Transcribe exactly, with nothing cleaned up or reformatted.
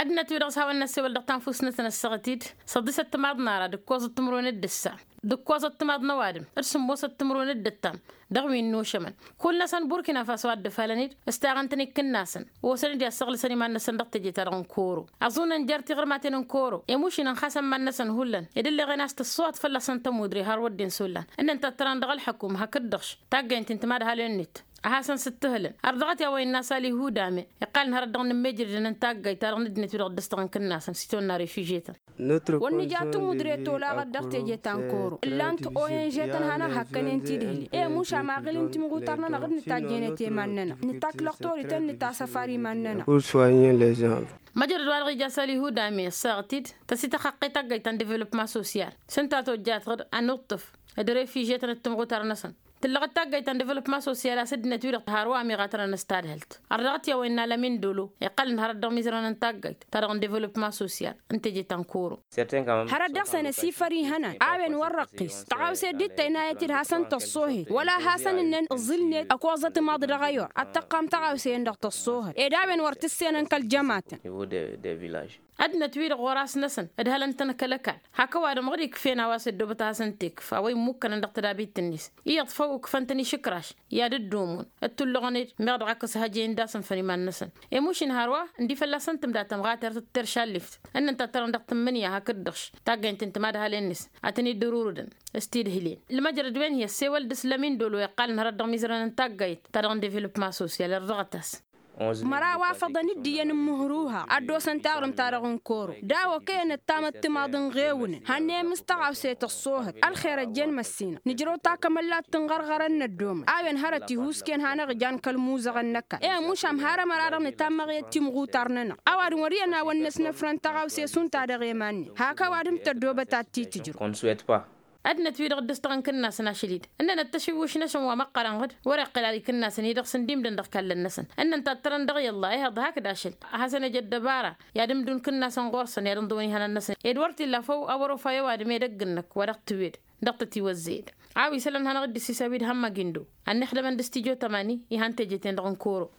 Ǝnnăt-wi-dăɣ s-hawăn-năssewăl dăɣ-tanfust-năsăn ăssaɣăt-dd s-ăḍḍisăt timaḍ n-ara d-ǝkkoẓăt timǝrwen d-ǝssa d-ǝkkoẓăt timaḍ n-ăwadǝm d-sǝmmosăt timǝrwen d-ǝttam. Dăɣ-wi n-nušămăn kull-năsăn burkina faso a dd-ǝfalăn-dd s-taɣăn-tăn-ikkǝnnasăn. Osăn-dd i-ad-săɣlǝsăn iman-năsăn dăɣ-teje-ta-dăɣ n-koro ăẓunăn jer-tiɣrǝmaten n-koro. Emušin ǝnxasăn iman-năsăn hullan ed ǝlleɣen a-s tǝṣṣuhăt fălla-săn tămudre har wădden s-ollan ǝnnăn tattărăn dăɣ-ălḥăkum hakd-dăɣ-š taggaynt n-timadhalen-net. A hasăn-sǝttǝhǝlăn har dăɣ-t i-a-wa innă asal ihudame iqqalăn hărăt dăɣ-nǝmmejrădăn n-taggayt ta-dăɣ n-ăddinăt-wi-dăɣ dd-ăstăɣăn kǝnnasăn s-itawănna refuje-tăn. Wăr nǝja tǝmudre tolaɣăt dăɣ-teje ta n-koro ǝllan-t o n ž-tăn hanăɣ-hakkănen tidhǝle i-mušam aɣǝl n-timɣutar-nănăɣ d-nǝtajjăynet i-iman-nănăɣ nǝtakk lăɣtorităn nǝtasăfar iman-nănăɣ. Măjrăd-wa-dăɣ ija asal ihudame ăssaɣăt-dd tăsităxăqqe taggayt ta n-developma sosyal s-ǝnta tojjatăɣ-dd ad-nuṭṭǝf d-refiže-tăn d-timɣutar-năsăn. Tǝllăɣăt taggayt ta n-developma sosyal a-s ăddinăt-wi-dăɣ tihărwa ămiɣatărăn s-tadhǝlt. Ărdăɣăt i-a-wa innă lămin dolo iqqălăn hărăt dăɣ-imizărăn n-taggayt ta dăɣ-n developma sosyal n-teje ta n-koro. Hărăt dăɣ-săn ăsifăr ihănan a-wen wăr răqqis tăɣawse dd-tăynayăt-dd hasăn-tăṣṣohet wăla hasăn-ǝnnen ǝẓǝlnet ăkoẓăt imaḍ dăɣ-ăyor ad-tăqqam tăɣawse-en-dăɣ tăṣṣohăt ed a-wen wăr t-ǝssenăn kăl-jămatăn. Ăddinăt-wi-dăɣ ɣur-asnăsăn ǝdhălăn-tăn kăl-ăkall hak ăwadǝm ɣǝd-ikf'-en a-wa s-ăddoobăt ad-hasăn-t-ikf a-wa immukkănăn dăɣ-tădabit-net. Iyyăḍ făw ǝkfăn-tăn išǝkraš i-ad-ǝddumun ǝttullăɣăn-dd meɣ dăɣ-ak s-hăjăyăn d-asǝnfăn iman-năsăn. Emušin hărwa ǝndifăl a-s ǝntǝm datămɣatert d-teršallift ǝnnăn tattărăn dăɣ-tǝmmǝnǝya hakd-dăɣ-š taggaynt n-timadhalen-net ad-tăn-dd-ărurǝdăn. S-tidhǝlen ǝlmăjrăd-wen hi-ăssewăl dăɣ-s lămin dolo iqqalăn hărăt dăɣ-imizărăn n-taggayt ta dăɣ-n developma sosyal ărdăɣăt-as. Măraw afăḍăn d-iyyăn n-imǝhrǝwha ad-dd-osăn taɣrǝmt-ta-dăɣ n-koro daw-okăyăn ăttamăt timaḍ n-iɣewǝnăn hannăyăm s-tăɣawse tăṣṣohăt. Ălxer ăjjeen măssinăɣ nǝjrăw takămăllat tǝnɣărɣărăn n-ăddoomăn a-wen hărăt ihusken hanăɣ-ijan kăl-imuzăɣăn n-ăkall i-ămušam har ămăra-dăɣ nǝtammăɣ i-timɣutar-nănăɣ. Ăwadǝm wăr iyyăn a-wăn năsnăfrăn tăɣawse šund ta dăɣ-eman-net hak ăwadǝm tăddoobăt ad-t-tǝjrǝw. Ăddinăt-wi-dăɣ dd-ǝstăɣăn kǝnnasăn ašăl-i-dd ǝnnănăt tašǝwwǝš-năsăn wa măqqărăn ɣǝd wăr-iqqǝl ad-ikǝnnasăn-i-dăɣ s-ǝndimdăn dăɣ-ikallăn-năsăn. Ǝnnăn tattărăn dăɣ-i ăllah ehăḍ hakd ašăl a hasăn-ăj ăddăbara i-ad-ǝmdǝw n-kǝnnasăn ɣur-săn i-ad-ǝnḍǝwăn ihănan-năsăn ed wăr t-illa făw a wăr-ofa i-ăwadǝm ed ăgg-năk wa dăɣ-tǝwed dăɣ-tătiwăzzeyăd. A-wa isălan hanăɣ-dd-issisa wi d-hămmăg-in-dd-o ad-nǝxdămăn d-stijo tămani ihan teje-ten-dăɣ n-koro.